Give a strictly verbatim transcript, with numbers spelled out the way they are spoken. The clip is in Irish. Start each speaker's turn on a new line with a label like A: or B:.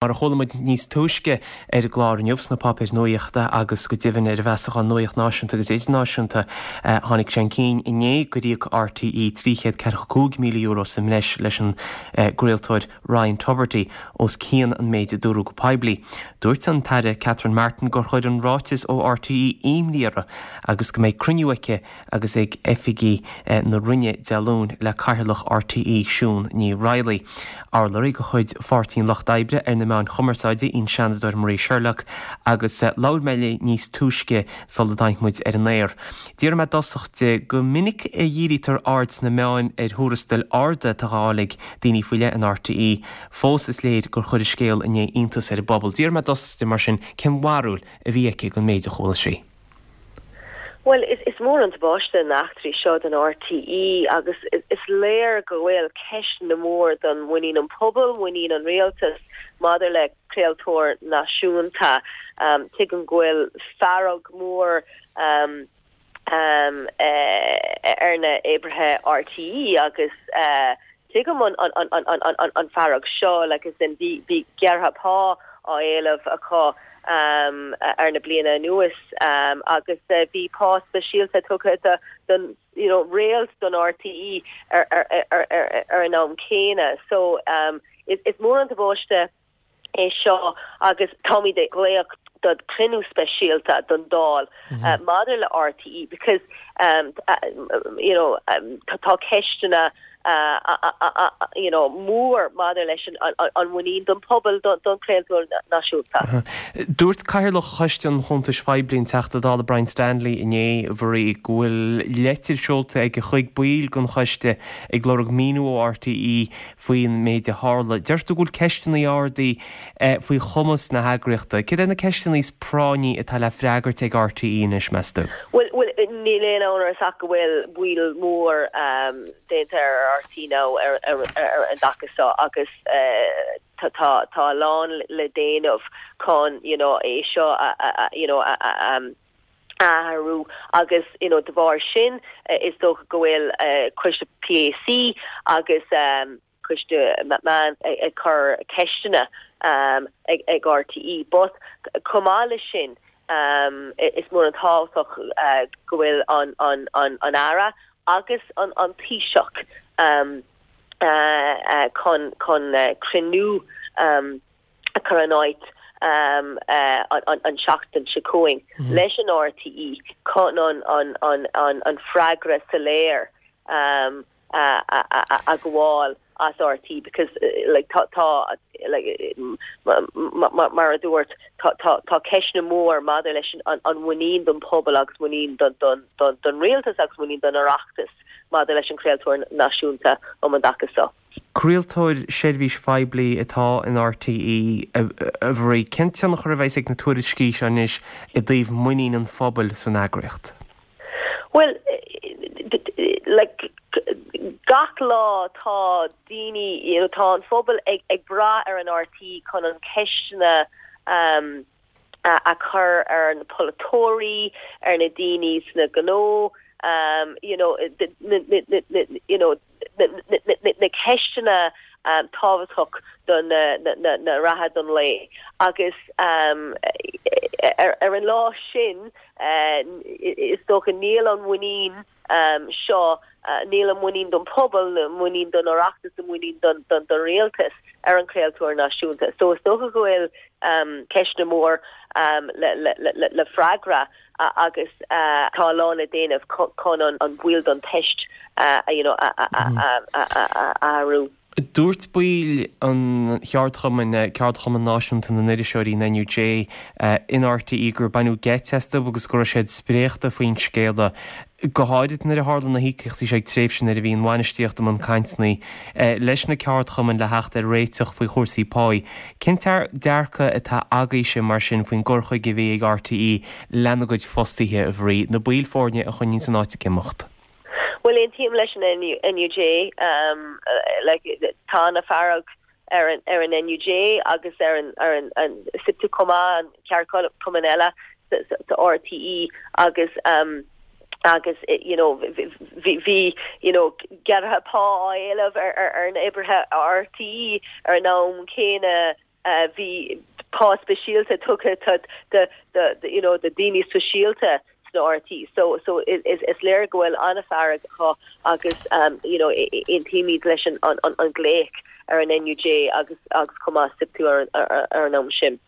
A: Mar a chuala muid níos túisce ar an gclár inniu sna páipéir nuachta agus go deimhin ar an bhfeasachán Nuacht Náisiúnta agus Idirnáisiúnta, tháinig sé chun cinn inné gur íoc RTÉ trí chéad ceathracha cúig míle euro sa mbreis leis an gcraoltóir Ryan Tubridy os cionn an méid a dúradh go poiblí. Dúirt an tAire Catherine Martin gur chuir an ráiteas ó RTÉ imní uirthi agus go mbeidh cruinniú aici agus ag oifigigh na Roinne Dé Luain le Cathaoirleach RTÉ Siún Ní Raghallaigh. Urlabhraí de chuid Pháirtí an Lucht Oibre ar na meáin chumarsáide í an Seanadóir Marie Sherlock agus labhair mé léi níos túisce sula dtáinig muid ar an aer. D'iarr mé i dtosach di go minic a dhírítear aird sna meáin ar thuarastail arda atá á bhfáil ag daoine faoi leith in RTÉ, fós is léir gur chuir an scéal inné iontas ar an bpobal. D'iarr mé i dtosach di mar sin cén bharúil a bhí aici den méid a chuala sí.
B: Well, is, is mór an tubaiste na heachtraí seo don RTÉ agus is, is léir go bhfuil ceisteanna mór don muinín an pobal, muinín an rialtas maidir le craoltóir náisiúnta. Um, tuigim go bhfuil fearg mór um, um, uh, ar na oibrithe RTÉ agus uh, tuigim an, an, an, an, an, an, an fearg seo like, is in bhí bhí gearradh pá á éileamh acu um, ar na bliana anuas um, agus uh, bhí pá speisialta tugtha do don you know, réalt don RTÉ ar, ar, ar, ar, ar an am céanna. So um, is, is mór an tubaiste é seo agus táimid ag glaoch do cruinniú speisialta don Dáil mm -hmm. uh, maidir le RTÉ because um, uh, you know, um, tá ceisteanna uh, uh, uh, uh, you know, mór maidir leis an, an, an muinín don pobal don, don craoltóir náisiúnta.
A: Dúirt Cathaoirleach Choiste an Chuntais Phoiblí an Teachta Dála Brian Stanley inné Mharie go bhfuil leitir seolta aige chuig baill den choiste ag lorg míniú ó RTÉ faoin méid a tharla. Deir tú go bhfuil ceisteanna ardaithe eh, faoi chumas na heagraíochta. Cad é na ceisteanna is práinní atá le freagairt ag RTÉ anois meas tú?
B: Well, well, níl aon amhras ach go bhfuil baol mór um, déanta ar RTÉ nó ar, ar, ar an dtaca seo agus uh, tá tá a lán le déanamh chun you know, é seo a, a, a, you know, a, a, um, athrú agus you know, de bharr sin uh, is dócha go bhfuil uh, coiste PAC agus um, coiste meán ag cur ceisteanna um, ag, ag RTÉ. But chomh maith leis sin um, is mór an tábhachtach uh, go bhfuil an, an, an, an Aire agus an, an Taoiseach um, uh, uh, chun chun uh, cruinniú um, a chur in áit um, uh, an, an, an seachtain seo chugainn mm -hmm. leis an RTÉ chun an, an, an, an, an freagra soiléir um, uh, a, a, a ghabháil as RTÉ because uh, like tá tá like mar a dúirt tá tá tá ceisteanna mór maidir leis an an muinín don pobal agus muinín don don don don rialtas agus muinín don Oireachtas maidir leis an craoltóir náisiúnta um an dtaca seo.
A: Craoltóir seirbhís phoiblí atá in RTÉ a Mharie cén tionchar a bheas ag na tuairiscí seo anois i dtaobh muinín an phobail san eagraíocht.
B: Well like gach lá tá daoine you know, tá an phobal ag, ag brath ar an RTÉ chun an ceisteanna um, a, a chur ar na polaiteoirí ar na daoine sna gnó um, you know, na, na, na, you know, na, na, na, na ceisteanna um, tábhachtach don na, na, na, na reatha don lae agus um, ar, ar an lá sin uh, is dócha níl an muinín um, seo uh, níl an muinín don pobal muinín don Oireachtas a muinín don, don, don rialtas ar an craoltóir náisiúnta. So is dócha go bhfuil um, ceisteanna mór um, le, le, le, le freagra uh, agus uh, tá lá le déanamh chun an, an bhfuil don teist uh, you know, a, a, a, a, a, a, athrú.
A: Dúirt baill an cheardchumainn ceardchumann náisiúnta na n-iriseoirí an NUJ in RTÉ gur baineadh geit astu agus go raibh siad spréachta faoin scéala. Go háirithe nuair a tharla na híocaíochtaí sé ag tréimhse nuair a bhí an bhainistíocht i mbun cainteanna leis na ceardchumainn le theacht ar réiteach faoi chúrsaí páí. Cén dearcadh atá agaibhse mar sin faoin gcur chuige a bhí ag RTÉ lena gcuid fostaithe a Mharie, na baill foirne a choinníonn an áit ag imeacht.
B: Well aontaím leis an NUJ um, uh, like, tá an fearg ar an ar an NUJ agus ar an ar an, an SIPTU chomh an ceardchumann eile sa RTÉ agus um, agus you know bhí bhí you know gearradh pá á éileamh ar ar ar na oibrithe RTÉ ar an am céanna Bhí pá speisialta tugtha do do you know do daoine speisialta sna R T E. So so is is léir go bhfuil an-fhearg acu agus um, you know aontaímid leis an an an, an glaoch ar an N U J agus agus chomh maith SIPTU ar, ar, ar an am sin.